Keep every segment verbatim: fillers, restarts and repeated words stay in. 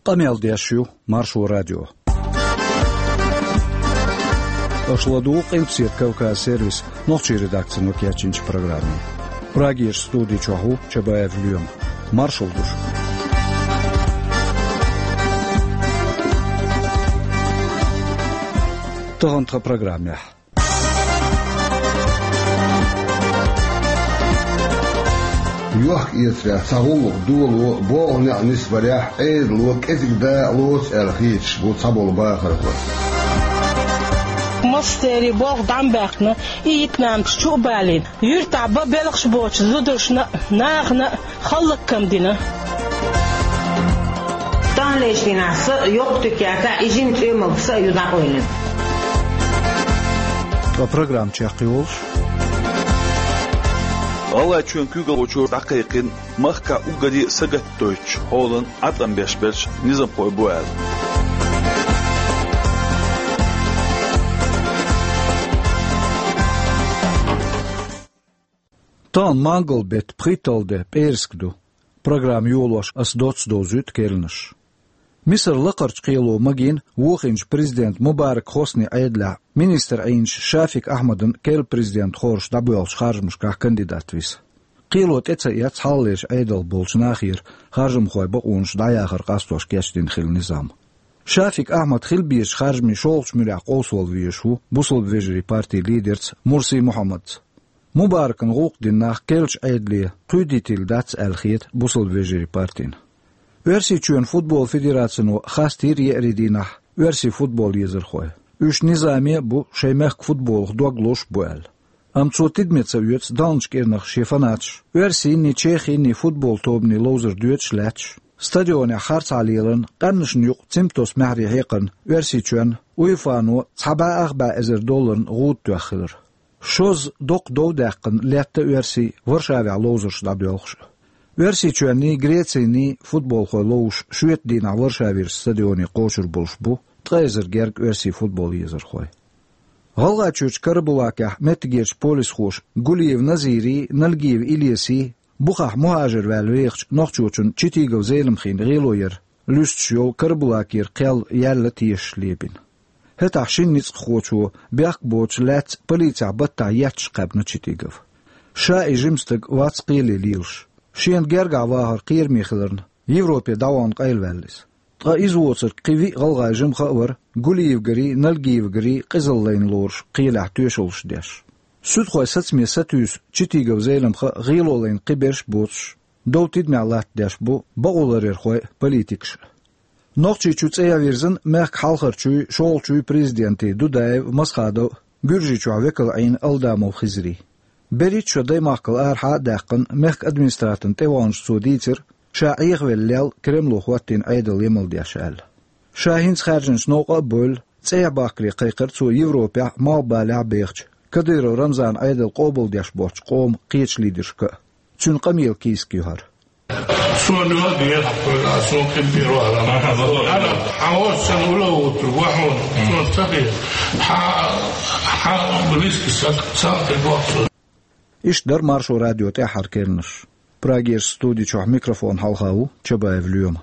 Къамел деш ю Маршо радио. Аша ладугӀу Къилбаседа Кавказ сервисан нохчийн редакцино кечйинчу программе. Прагерчу студи чохь ву Чабаев Лоьма. Маршалла ду шуьга. Тахана тхан программехь. Йохк-эцарехь цхьа гӀуллакх доло, болх-некъ нисбарехь Ӏедало кӀезиг дакъалоцу аьлла хеташ бу цхьаболу бахархой. Массеран болх дӀа ма баьккхина, и йиканамташ чу а балийна, юьртахь бан белхаш боцу зударшна а, нахана а хӀаллакам дина. Таханлерчу дийнахь са а, йоккха туька яцахь, и жима цӀоьмалг са а ю дӀакъевлина. Ткъа программа чекхйолуш. ГӀалгӀайчоьнан куьйгалхочо дӀакхайкхина махкахь уггаре а сагатдойтучу хьолан Ӏаткъам беш берш низамхой бу аьлла. Тахана мангал-беттан пхийтталгӀа де, пӀераска ду. Программа йолош ас доцца довзуьйту керланаш. Мисар лакхарчу кхело магийна вохийначу президентан Мубарак Хосни Ӏедалехь министр Ӏийначу Шафик Ахьмадан керла президент хоржуш дӀабоьлхучу харжамашкахь кандидат виса. Кхело тӀе ца эцна хьалхалерчу Ӏедалх болчу нахера харжамхойн бакъонаш дӀаяхар къастош кечдина хилла низам. Шафик Ахьмад хила безачу харжамийн шолгӀачу муьрехь къовсавала везаш ву бусалба вежарийн партин лидерца Мурси Мухьаммадца. Мубаракан гӀуллакх дина нах керлачу Ӏедале кхуьйдийтийла дац аьлла хета бусалба вежарийн партина. Оьрсийчоьнан футбол федерацино хастийра еарин дийнахь оьрсийн футбол езархой. Уьш низаме а бу, шайн мехкан футболах дог лозуш а бу аьлла. Амма цо тидаме ца оьцу далначу кӀирнах шен фанаташ оьрсийнний, чехийнний футбол тобанийн ловзар доьдуш а лаьтташ, стадионехь харцахьа леларна, къаьмнашна юкъа цамтан маьхьарий хьекхарна Оьрсийчоьнна УЕФАно цхьа бӀе ах бӀе эзар долларна гӀуда тоьхна хилар. Шозза доккха дов даьккхина летта оьрсий Варшавехь ловзарш дӀадоьлхуш а. Оьрсийчоьнний, Грецийний футболхой ловзуш шоьтан дийнахь Варшавера стадионе кхочур болуш бу ткъа эзар гергга оьрсийн футбол езархой. ГӀалгӀайчуьрчу Карабулакехь меттигерчу полисхоша Гулиев Назирий, Нальгиев Илесий, бухахь мухӀажар ваьлла вехачу нохчочун Читигов Зеламхин гӀело яр луьстуш йолу Карабулакера кхел яьлла тешаш лепина. ХӀетахь шина ницкъахочо бехк боцуш лаьцна полицехь баттахь етташ кхаьбна Читигов. Ша и жима стаг вац кхеле лелаш. Шена гергахь вахар кхераме хиларна, Европе дӀавахана къайлаваьлла иза. Ткъа иза воцург кхин виъ гӀалгӀай жимха а вара, Гулиевгарий, Нальгиевгарий къизалла лайна лоруш кхелехь тоьшаллаш деш. Суьдхойн сацаме сатуьйсу Читигов Зеламха а, гӀело лайна кхиберш а боцуш, дов тидамехь латтадеш бу бакъоларъярхой а, политикаш а. Нохчийчу цӀа ян вирзина мехкан хьалхарчуй, шолгӀачуй президентий Дудаев, Масхадов а, Гуьржийчохь векал Ӏийна Алдамов Хизрий. БерхӀитта шо даймахкал арахьа а даьккхина, мехкан администратан тӀеваханчу цо дийцира, ша Ӏехавелла лел Кремло хӀоттийна Ӏедал емал деш аьлла. Ша хӀинца хаьржинчу новкъа а бевлла, цӀехьа бахкаре кхайкхира цо Европехь а, Малхбалехь а бехачу Кадыров Рамзанан Ӏедал къобалдеш боцчу къоман кхечу лидершка а. Цуьнан къамелан кийсак ю хӀара. Суна ло дехьа хуьлу, а суна къинтӀера вахана. Ана хьан оццул уьла вутур вахана, суна ца хета. Хьан, хьан близкий саг ца хилла вахана. Иштта дара Маршо радион тӀаьххьара керланаш. Прагерчу студи чохь микрофон хьалха ву Чабаев Лоьма.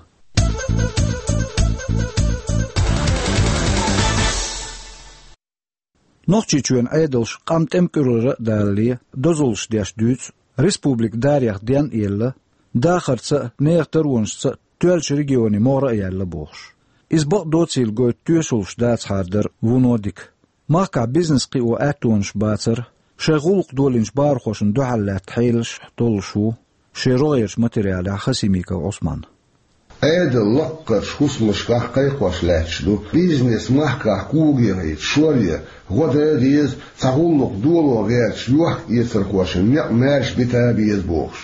Нохчийчоьнан Ӏедалша къам тӀемкӀуьрара а далале, дозаллаш деш дуьйцу, республикан дарех ден а елла, дахарца а, нехан таронашца а тоьллачу регионийн могӀара а яьлла бохуш. Иза бакъдоцийла гойту тоьшаллаш дацахьара дара вуно дика. Махкахь бизнес кхио аьттонаш бацара, шайн гӀуллакх долийначу бахархошна дуьхьал лаьтта хьелаш а толлуш ву шен рогӀерчу материалехь Хасимиков Ӏусман. Ӏедал лаккхарчу хӀусамашкахь кхайкхош лаьтташ ду, бизнес махкахь когахьийта шоръян, гӀо дан а деза, цхьа гӀуллакх доло гӀерташ йохк-эцархошна некъ маьрша бита а беза бохуш.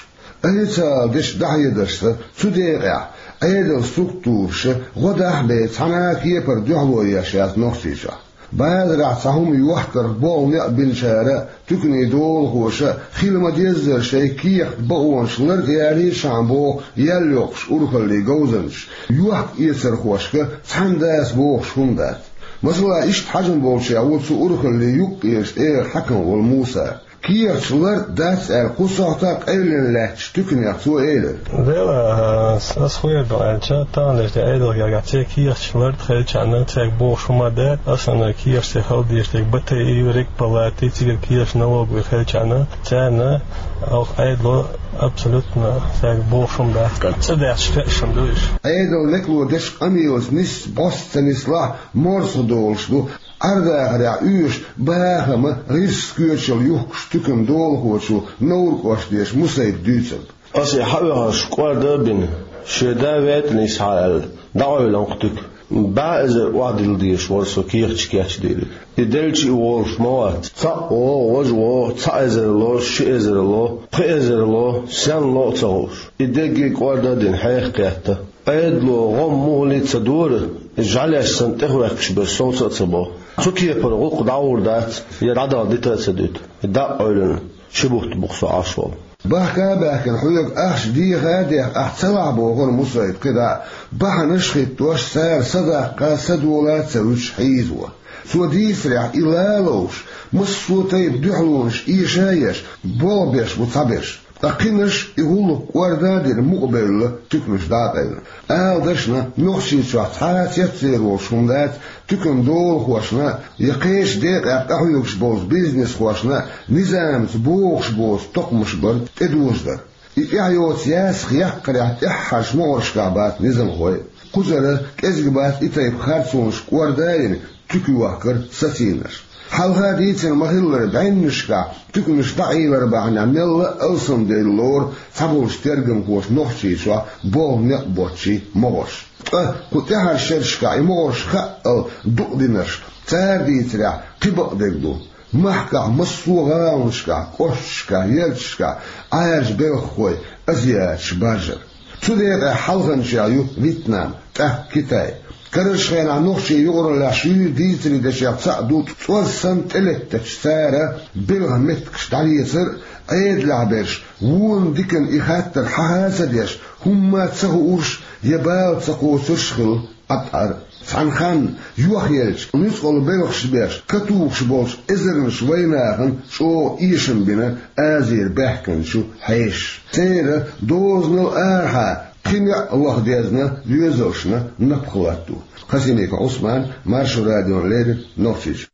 Официалан дешан дӀахьедаршца, цу декъехь Ӏедалан структураша гӀо дахь а бен, цхьана а кепара дуьхьало еш яц Нохчийчохь. Базарахь цхьа хӀума йохкарх болх-некъ бинчара а, туьканийн долахоша а хила ма-деззара шайн кехат, бакъонаш ларъялийша шаьш боху ял йоккхуш урхаллин говзанчаш, йохк-эцархошка цхьаьна дацахь бохуш хӀума дац. Масала, иштта хьажам болчех ву цу урхаллин юккъерчу тӀегӀан хьаькам волу Муса. Кехаташ лард дац аьлла, кху сохьта къевлина лаьттачу туьканех цо элира: «Дела, ас хуьйр ду аьлча, таханлерчу Ӏедалгергахь церан кехаташ лард хилчарна, цаьрга бохуш хӀума дац, аса кехаташ хила дезаш дерг батайи, рекпалати, цигара кехаташ налоговый хилчарна, царна оха Ӏедало абсолютно цаьрга бохуш хӀума дац. ЦӀа даьхча хезаш хӀума ду уьш». Ӏедал мекало дечу къамелаца нисса бӀос ца нислахь, морсах долуш ду, Ӏер-дахарехь оьшуш бахама гӀирсаш коьчал юхкуш туькан долахочо Невран кӀоштан дешан Мусайба дуьйцург. Аса и хьаоьхуш кӀорда а бина, шен да ветӀанна йисхьа аьлла, дӀакъевлина кху туька. БӀе эзар охьадилла дезаш вара со кехаташ кечдийриг. И делча и волуш ма вац. Цхьаъ вогӀу, важа вогӀу, цхьа эзар ло, ши эзар ло, пхи эзар ло, сенна ло а ца хууш. И дерриге а кӀорда а дина, хьеха кхетта. Ӏедало гӀо муххале а ца дора, и жӀаьлеш санна тӀехваьккхаш берш совца а ца бо. Цу кепара гӀуллакх дӀагӀур дац, я дӀадала дита а ца дуьту, и дакъа Ӏуьллина ши бутт бу-кх со Ӏаш волу. Бахка а баьхкина, хьоьга ахча деха а деха, ахь ца лахь, бохура Мусайба кхидӀа а, бахьанаш а хӀиттош, цара са даккха, са дола а ца вуьтуш хьийзаво. Цо дийцарехь, и лалуш, массо а тайпа дуьхьалонаш эша а еш, болх беш бу цхьаберш. Ткъа кхинарш, и гӀуллакх кӀорда а дина, мукъабевлла, туьканаш дӀа а къевлина. Ала дашна, Нохчийчохь цхьа а цецвер волуш хӀума дац, туькан долахошна я кхечу декъехь къахьоьгуш болчу бизнесхошна низамца богӀуш боцу токхамаш бар тӀедожадар. И тӀаьхьа йоцу ясах яккхарехь тӀаьххьарчу могӀаршкахь бац низамхой. Кхузара кӀезиг бац и тайпа харцонаш кӀорда а йина, туька йохкар сацийнарш. Хьалха дийцина ма-хиллара, бӀеннашкахь туьканаш дӀаийлар бахьанехь мелла а алсамдевлла лору цхьаболчу тергамхоша Нохчийчохь болх некъ боцчийн могӀарш. Ткъа кху тӀаьххьарчу шерашкахь и могӀарш хаъал дукъдинарш, цара дийцарехь, кхин бакъдерг ду. Махкахь массо а гӀаланашкахь, кӀошташкахь, ярташкахь Ӏаьржа белхахой азиаташ баржар. Цу декъехь хьалханчех ю Вьетнам, тӀаккха Китай. Карарчу хенахь нохчий юкъараллехь шуьйра дийцаре дешех цхьаъ ду цӀоз санна тӀелеттачу цара белхан меттигаш дӀалецар а, Ӏедалехь берш вон диканна и хаттар хьаха а ца деш, хӀумма а ца хуурш я бала ца кхочурш а хилла Ӏаттар. Цхьана ханна йохъелча, нуьцкъала белхаш беш, катухуш болчу эзарнаш вайнахана чӀогӀа эшам бина Азера баьхкинчу хьешаша. Церан дозанал арахьа кхин йоӀ ваха дезна доьзалшна напха латто. Хасимиков Ӏусман, Маршо радиона леррина, Нохчийчу.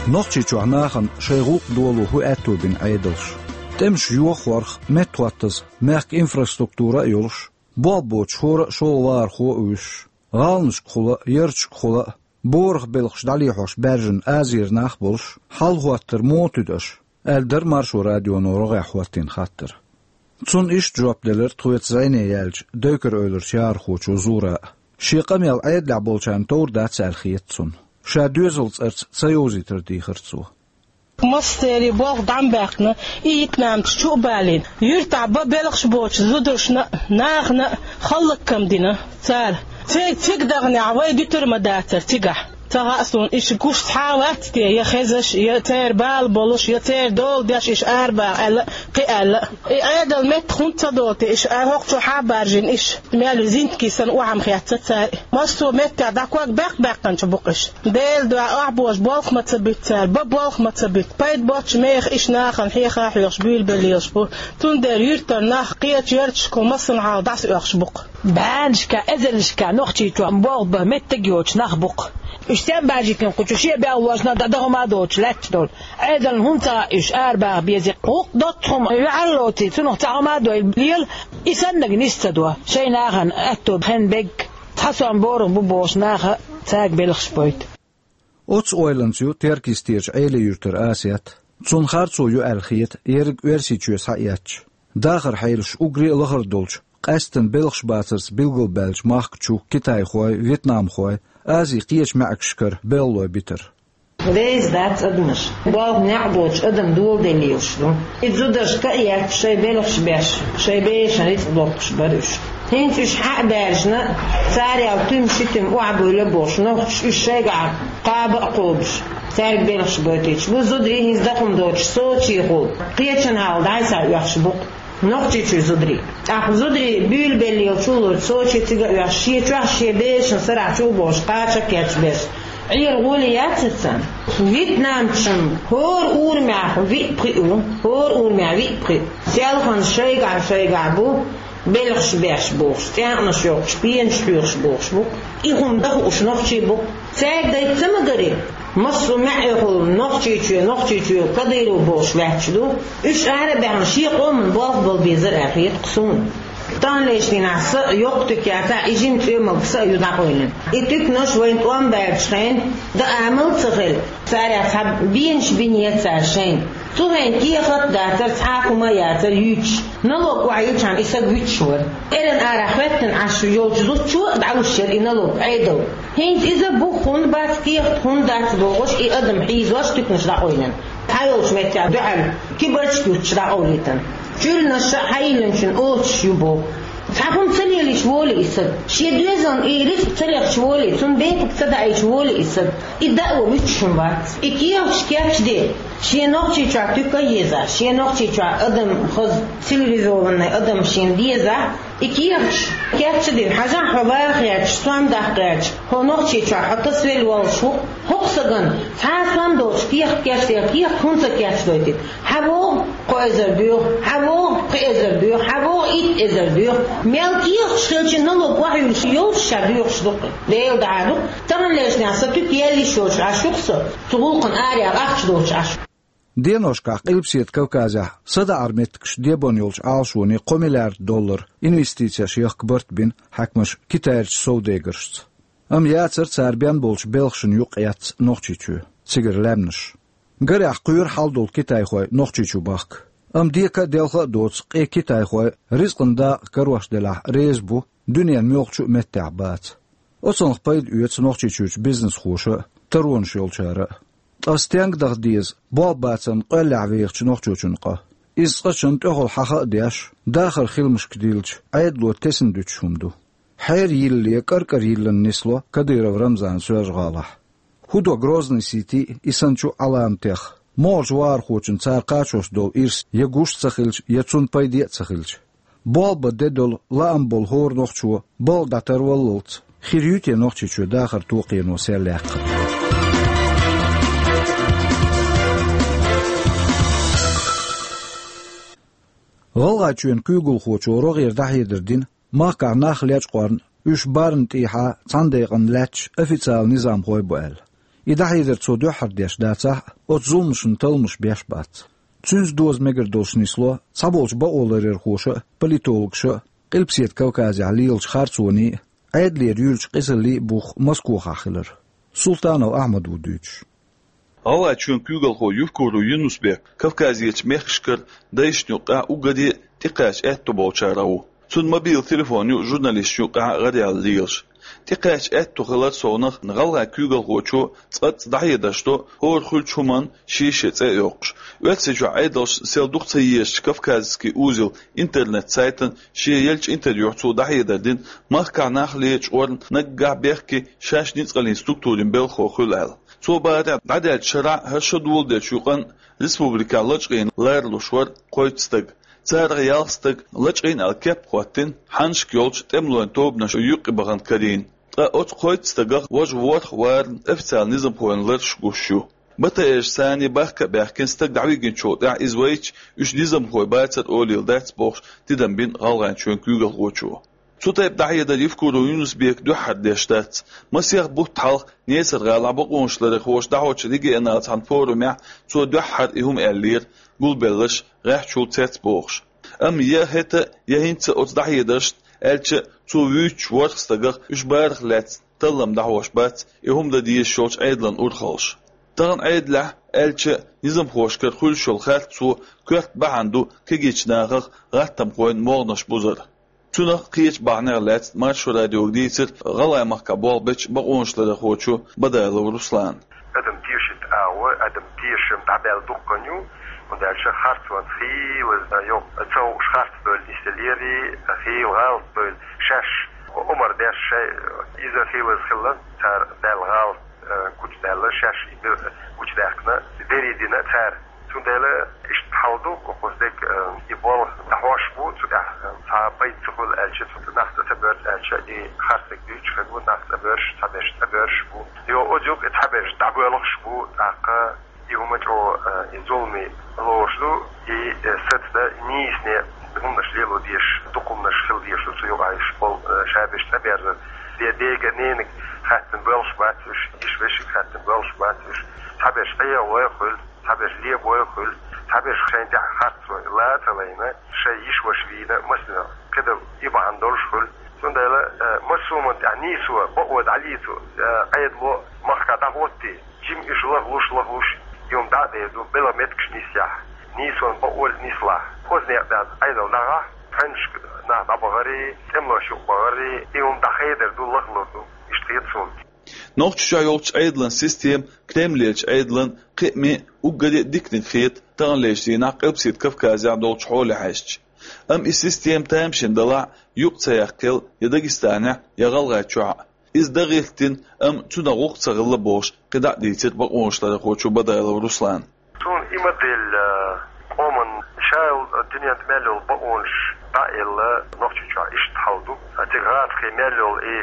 Нохчийчохь нахана шайн гӀуллакх доло хӀун аьтто бина Ӏедалша? ТӀемаш йохорх, меттахӀоттаза, мехкан инфраструктура а йолуш, болх боцуш хӀора а шолгӀа вахархо а вуьсуш, гӀаланашкахула а, ярташкахула а, борах белхаш дӀалехьош баьржина Азера нах а болуш, хьал хӀоттар муха туьду аша? Аьлла дара Маршо радионо рогӀехь хӀоттийна хаттар. Цунна иштта жоп делира тхоьца зӀене яьллачу Дойкар-Эвларчу яхархочо Зура а. Шен къамел Ӏедалехь болчарна товр дац аьлла хета цунна. Ша доьзалан цӀарца ца йовзийтар дийхира цо. Массеран болх дӀа ма баьккхина, и Вьетнамца чу а балийна. Юьртахь бан белхаш боцучу зударшна а, нахана а хӀаллакам дина цара. Церан цига даханехь вай дуьтур ма дацара цигахь. Ца хаьа суна, иштта гуш цхьа а вац те, я хезаш, я церан бала болуш, я церан дола деш иштта арабаха аьлла а, кхин аьлла а. И Ӏедал меттах хӀунда ца долу те, иштта хӀокху чу хьа а баржийна иштта, мел зинтке санна охьа ма хецна цара. Массо а меттехь дӀаког баьккха баьккхинчу бу-кх иштта. Делан дуьхьа охьабожа болх ма ца буьту цара, бан болх ма ца буьту. Пайда боцчу мехах иштта нахана хьеха а хьоьхуш буьйлабелла лелаш бу. Цундела юьртара нах кхечу ярташкахула массанхьа дӀасаоьхуш бу-кх. БӀеннашкахь, эзарнашкахь Нохчийчохь болх бан меттиг йоцуш нах бу-кх. Уьш стенна баьржийтина кху чу шен белхалошна а, дӀа дан хӀума а доцуш лаьтташ долу? Ӏедална хӀунда ца хаьа уьш арабаха безе? ГӀуллакх доцу хӀума, ваьлла лоций, цунах цхьа хӀума а дойла лела, и саннарг нис ца до. Шайн нахана аьтто хенна берг, цхьа сом борах бу бохуш наха цаьрга белхаш бойту. Оцу ойланца ю Теркйистерчу Ӏелин-Юьртара Асет. Цунна харцо ю аьлла хета ерриг Оьрсийчоь схьаэцча. Дахаран хьелаш уггаре а лахара долчу, къаьсттина белхаш бацарца билгалбаьллачу махка чу китайхой, вьетнамхой, Азин кхечу маьӀигашкара белхалой битар. Деза дац адамаш. Болх некъ боцуш адам доладелла лелаш ду. И зударшка а етташ, шайн белхаш беш, шайн бешан рицкъ доккхуш бара уьш. ХӀинца уьш хьа а баьржина, царал туьма-ши туьма охьабуьйлу бохуш, нохчаша уьш шайгахь кхаба а кхобуш, цаьрга белхаш бойтуьйтуш бу. Зударий хӀинца дан хӀума доцуш Сочехула кхечанхьа дӀасаоьхуш бу-кх. Нохчийчоь зударий. ТӀаккха зударий буьйлабелла йолчул Сочи цига а оьхуш, шен чохь шен берашна сарахь чу а бохуш, кхача а кечбеш. Ӏера гӀоле яцара царна. Вьетнамцашна хӀора урамехь виъ пхиъ ву, хӀора урамехь виъ пхиъ. Селхана шайгахь-шайгахь бу, белхаш беш бохуш, цӀенкъанаш йоккхуш, пенаш хьоьхуш бохуш бу. И хӀума дан хууш нохчий бу. Цаьрга дайта ца магаре, массо а маьӀӀехула Нохчийчоь, Нохчийчоь Кадыров бохуш лаьтташ ду. Уьш ара а баьхна, шен къоман болх бала безар аьлла хета-кх суна. Таханлерчу дийнахь сан а йоккха туька яцахь, и жима цӀоьмалг сан а ю дӀакъевлина. И туьканаш вайна тӀом баьллачу хенахь, дан амал а ца хилла, царех цхьа бенаш бинера цара шайна. Цу хенахь кехат а дацара, цхьа а хӀума а яцара юьйцуш. Налог охьайиллачхьана и саг вуьтуш вара. Эрна арахь хӀоьттина Ӏаш йолчу зудчо а дӀалуш яра и налог Ӏедал. ХӀинца иза бух хӀунда бац, кехат хӀунда дац бохуш, и адам хьийзош туьканаш дӀакъевлина. Цхьайолчу меттехь дуьхьал кибарчаш дуттуш дӀакъовлийтина. Чуьрнаш а хьайиллинчун оцуш ю боху. Цхьа хӀума ца лелийча волий и саг? Шен доьзална и рицкъ ца лехча волий, цунна бепиг ца даийча волий и саг? И дао вуьтуш хӀума вац. И кехаташ кечде, шен Нохчийчохь туька а еза, шен Нохчийчохь адам хаза, цивилизованный адам шена деза, и кехаташ кечдина, хьажахь хьо ваха гӀерташ, сом даккха гӀерташ, хьо Нохчийчохь хьо тасавелла воллуш ву. ХӀокху сагана цхьа а сом доцуш кехат кечдина, кехат хӀунда ца кечдойтуьйту? Хьан вогӀу кхо эзар доьху, хьан вогӀу пхи эзар доьху, хьан вогӀу итт эзар доьху. Мел кехаташ хилча налог охьаюьллуш йолуш ша доьхуш ду-кх. Делан дуьхьа ду-кх. Таханлерчу дийнахь сан туька яьлла йиш йолуш Ӏаш ю-кх со. Цу гӀуллакхана араяха ахча доцуш Ӏаш. Деношкахь Къилбаседа Кавказехь садаӀаран меттигаш дебон йолчу Ӏалашоне кхо миллиард доллар инвестицеш яхка барт бина хьаькамаша китайрчу совдегаршца. Амма яцара цара бен болчу белхашна юкъаэцна Нохчийчоь, цигара лаьмнаш. Гарехь кхоьру хьал долу китайхой Нохчийчу бахка. Амма дека а, делха а доцу къен китайхой ризкъан дакъа карош делахь реза бу, дуьненан муьлххачу а меттехь баца. Оцунах пайда оьцу Нохчийчуьрчу бизнесхоша а, таронаш йолчара а. Ткъа стенга даха деза болх бацарна къоьллехь вехачу нохчочун къа? Иза цкъачунна тӀехула хьаха а деш, дахаран хиламашка диллича, Ӏедало тесна дуьтуш хӀума ду. Хьеран йиллале, кӀар-кӀар йиллина нисло Кадыров Рамзан Соьлжа-ГӀалахь. ХӀун до Грозный-Сити и санна чу Ӏаламатех? МогӀарчу вахархочунна цара кхачош долу ирс я гуш а ца хилча, я цунна пайде а ца хилча? Болх бан де долу, лаам болу хӀора нохчо балха дӀатарваллалц, хир ю те Нохчийчоь дахар токхено серлаьккхар? ГӀалгӀайчоьнан куьйгалхочо рогӀера дӀахьедар дина, махкахь нах лечкъорна, уьш барна тӀехьа цхьана декъана лаьтташ официалан низамхой бу аьлла. И дӀахьедар цо дуьххьара деш дацахь а, оцу зуламашна талламаш беш бац. Цуьнца доза мегар долуш нисло цхьаболчу бакъоларъярхоша а, политологаша а, Къилбаседа Кавказехь лелачу харцонийн а, Ӏедалера юьллучу къизаллин а бух Москохахь хилар. Султанов Ахьмад ву дуьйцуш. ГӀалгӀайчоьнан куьйгалхо Евкуров Юнус-Бек Кавказерчу мехкашкара дайшна юкъахь уггаре а тӀекхача аьтто болчарах ву. Цуьнан мобил телефон ю журналисташна юкъахь гӀараяьлла лелаш. ТӀекхача аьтто хилар совнах гӀалгӀайн куьйгалхочо цкъацкъа дӀахьедарш до, хӀора хуьлучу хӀуманна шен-шен цӀе а йоккхуш. Оьрсийчохь Ӏедалша сел дукха ца езачу «Кавказский узел» интернет-сайтана шен еллачу интервьюхь цо дӀахьедар дина, махкахь нах лечкъорна наггахь бехке шаьш ницкъаллин структурийн белхахо хуьлу аьлла. Цо бахарехь, дӀадаьллачу шарахь хӀара шо доладеллачу юкъанна республикехь лачкъийна ларалуш вара кхойтта стаг. Царах ялх стаг лачкъийна аьлла кеп а хӀоттийна, хьаннашка йолчу тӀемалойн тобанаш юккъе бахана карийна. Ткъа оцу кхойтта стагах важа ворхӀ варна официалан низамхойн лараш гуш ю. БТР-аш санна бахка а баьхкина, стаг дӀавигначул тӀаьхьа иза вайча, уьш низамхой бацара олийла дац бохуш, тидам бина ГӀалгӀайчоьнан куьйгалхочо. Цу тайпа дӀахьедар Евкуров Юнус-Бека дуьххьара деш дац. Масех бутт хьалха Несар-гӀалахь бакъонашларъярхоша дӀахьочу регионал цхьана форумехь цо дуьххьара и хӀума аьллера, гулбелларш гӀеххьачул цецбохуш. Амма я хӀета, я хӀинца оцу дӀахьедаршна, аьлча а, цо вуьйцучу ворхӀ стагах уьш барах лаьцна таллам дӀахьош бац и хӀума дан дезаш йолчу Ӏедалан урхаллаша. Тахана Ӏедалехь, аьлча а, низамхошкара хуьлуш йолу харцо коьрта бахьана ду кегийчу нахах гӀаттамхойн могӀанаш бузар. Цунах, кхечу бахьанех лаьцна Маршо радиога дийцира ГӀалгӀай махкахь болх бечу бакъонашларъярхочо Бадалов Руслана. Адам тешийта агӀо, адам тешам дӀабаьлла дуккха а ю, хӀунда аьлча харцонца хийла йо, ца хууш харц бевлла нисделлера, хийла гӀалат бевлла шаьш омра деш шай, иза хийлаза хилла, цара даьлла гӀалат, э, гучудаьлла, шаьш и бе-, гучудаьккхина, берриг дина цара. Цундела иштта хьал ду, оцу стеган, э, и болх дӀахьош Цхьа пайда ца хуьлу аьлча, цунна нах цӀа ца боьрзу аьлча, и харцдерг дуьйцуш хир бу, нах цӀа боьрзуш, цхьаберш цӀа боьрзуш бу. Йо, оцу юкъа и цхьаберш дӀабоьлхуш бу, тӀаккха и хӀума чӀогӀа, э, и зуламе лоруш ду, и, э, сацадан, нийсане хӀуманаш лело дезаш, дукха хӀуманаш хила дезаш ду цу юкъахь, уьш болу, э, шаберш цӀа берзар. Де-, дега, ненага хаьттина боьлхуш бац уьш, йиша-вешига хаьттина боьлхуш бац уьш. Цхьаберш Ӏехавой хуьлу, цхьаберш лебой хуьлу, цхьаберш шайна тӀехь харцо лан а ца лайна, шайн йиша-ваша вийна, массо а кхидолу и бахьана долуш хуьлу. Цундела, э, массо а хӀуманна тӀехь нийсо, бакъо дӀалецо, э, Ӏедало махкахь дӀахӀоттий, жима уьш лахлуш, лахлуш, и хӀума дӀа а дер ду, белхан меттигаш нисъяхь, нийсонан бакъо а нислахь, хӀоза некъ даьлла Ӏедал дӀагӀахь, пхьоьнашка нах дӀабахари, тӀемалойн юкъа бахари, и хӀума дӀахедар ду, лахлур ду, иштта хета суна. Нохчийчохь йолчу Ӏедалан система Кремлерчу Ӏедалан кхиамийн уггаре а диканиг хета таханлерчу дийнахь Къилбаседа Кавказехь долчу хьоле хьаьжча. Амма и система тамашийна далахь, юкъа ца яккхал я Дагестанехь, я ГӀалгӀайчохь а. Иза дан гӀиртина, амма цунах гӀуллакх ца хилла бохуш, кхидӀа а дийцира бакъонашларъярхочо Бадалов Руслана. Суна и модель, а, къоман ша йолу дуьненна мел йолу бакъонаш дӀа а елла, Нохчийчохь иштта хьал ду. А цига гӀазкхийн мел йолу и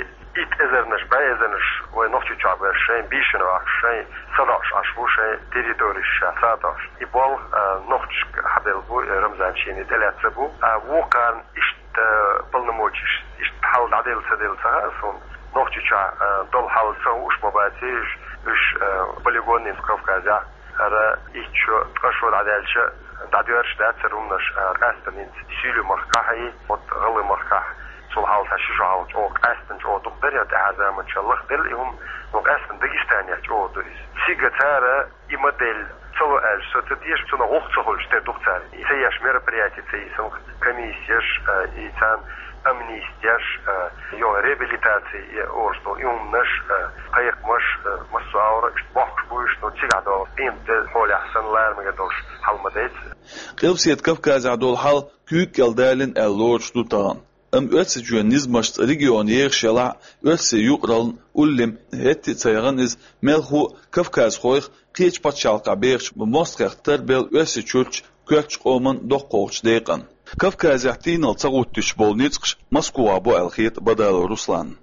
итт эзарнаш, бӀе эзарнаш вай Нохчийчохь берш шайн бийшина ваьхна, шайн са доӀуш Ӏаш ву, шайн территореш ша сатоьхуш. И болх, а, нохчашка хьабелла бу, и Рамзан шена тӀелаьцна бу. А вукхарна иштта полномочеш, иштта хьал дӀаделла ца делла ца хаьа суна. Нохчийчохь, а, долу хьал ца хууш ма бац уьш, уьш, а, полигонийн Кавказехь. ХӀара итт шо, ткъа шо дӀадаьлча, дӀадоьрзуш дацара хӀуманаш, а, къаьсттина хӀинца Сийлу-махкахь а, оцу ГӀалгӀай-махкахь, цул хьалха ши шо хьалха чӀогӀа къаьсттина, чӀогӀа дукха дара, я тӀаьхьара заманчохь лаха делла и хӀума, но къаьсттина Дагестанехь чӀогӀа ду иза. Цига цара и модель ца ло аьлча, со ца теша, цунах гӀуллакх ца хуьлуш тера ду-кх цара. И ца еш мероприяти ца йисина, комиссеш, а, и царна амнистеш, а, йо, реабилитаци, и орца долу и хӀуманаш, а, кхайкхамаш, а, массо а агӀор иштта бохкуш бу уьш, но цигахь догӀу къематде хьолехь санна ларамага долуш хьал ма дайца. Къилбаседа Кавказехь долу хьал куьйга кӀел далийна аьлла лоруш ду тахана. Амма Оьрсийчоьнан низамашца регион ехаш елахь а, Оьрсийн юкъараллин уллехь хӀетте а ца яхана иза, мелхо а кавказхойх кхечу пачхьалкхехь бехачу мостагӀех тарбелла Оьрсийчуьрчу коьртачу къоман доккхачу декъана. Кавказехь тийналла ца гӀуттуьйтуш болу ницкъаш Москвахь бу аьлла хета Бадалов Русланна.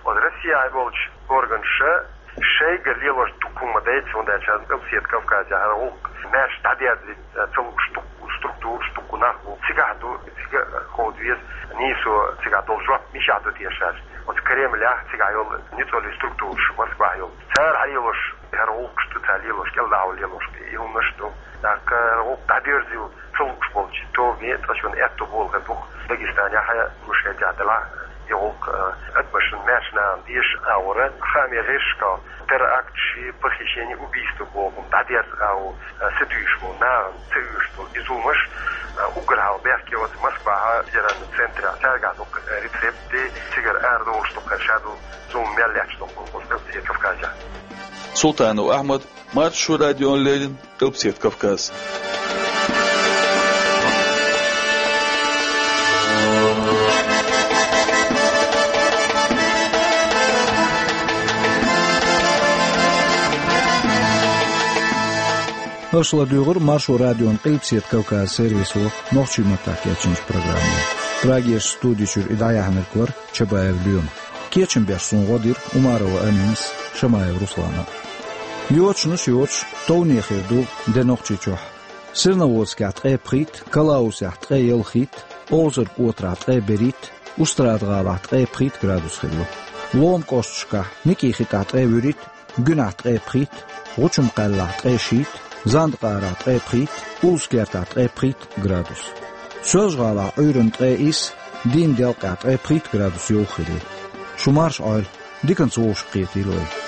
Оцу Россехь болчу органаша шайгара лелош дукха хӀума ма дайца, хӀунда аьлча Къилбаседа Кавказехь хӀара гӀуллакх маьрша дӀадерзийта ца лууш дукха структураш, дукха нах бу. Цигахь ду, цига кховда веза нийсо, цигахь долу жоп мичахь ду теша аьлча. Оцу Кремлехь цигахь йолу ницкъаллин структураш Москвахь йолу. Цара хьалелош хӀара гӀуллакхаш ду, цара лелош, кӀелдахьа лелош и хӀуманаш ду. ТӀаккха хӀара гӀуллакх дӀадерзийла ца лууш болчу тобане тӀе шуна аьтто болу хир бу-кх Дагестанехь а, Ингушетехь а делахь и гӀуллакх, а, адамашна маьршачу нахана дезаш агӀора, хаамийн гӀирсашкахь теракташ, похищение, убийство боху дӀадерза агӀо, а, сатуьйсуш болу нахана ца оьшуш долу и зуламаш, а, уггар хьалха бехке оцу Москвахь федеральный центрехь, цаьргахь ду-кх рецепт, цигара арадовлуш ду-кх ша долу зулам мел лаьтташ долу Кавказехь. Султанов Ахьмад, Маршо радиона леррина, Къилбаседа Кавказ. Аша ладуьйгӀира Маршо радион Къилбаседа Кавказ сервисо нохчийн маттахь кечйинчу программе. Прагерчу студи чуьра и дӀаяьхьнарг вара Чабаев Лема. Кечам беш суна гӀо дира Умарова Аминас, Шамаев Руслана. Йочанаш йоцуш, товне хир ду де Нохчийчохь. Серноводскехь ткъе пхийтта, Калаусехь ткъе ялхийтта, Овзарг отарахь ткъе берхӀийтта, Устрада-ГӀалахь ткъе пхийтта градус хилла. Лома кӀошташкахь, Никъин-ХетӀахь ткъе вуьрхӀитта, Гуьнахь ткъе пхийтта, ГӀучум-Кхаьллахь ткъе шийтта, Занд-ГӀарахь ткъе пхийтта, Улус-Кертахь ткъе пхийтта градус. Соьлжа-ГӀалахь Ӏуьйранна ткъе исс, Дийна-Делкъехь ткъе пхийтта градус йовха хилла. Шу марша Ӏойла, диканца вовшах кхетийла вай.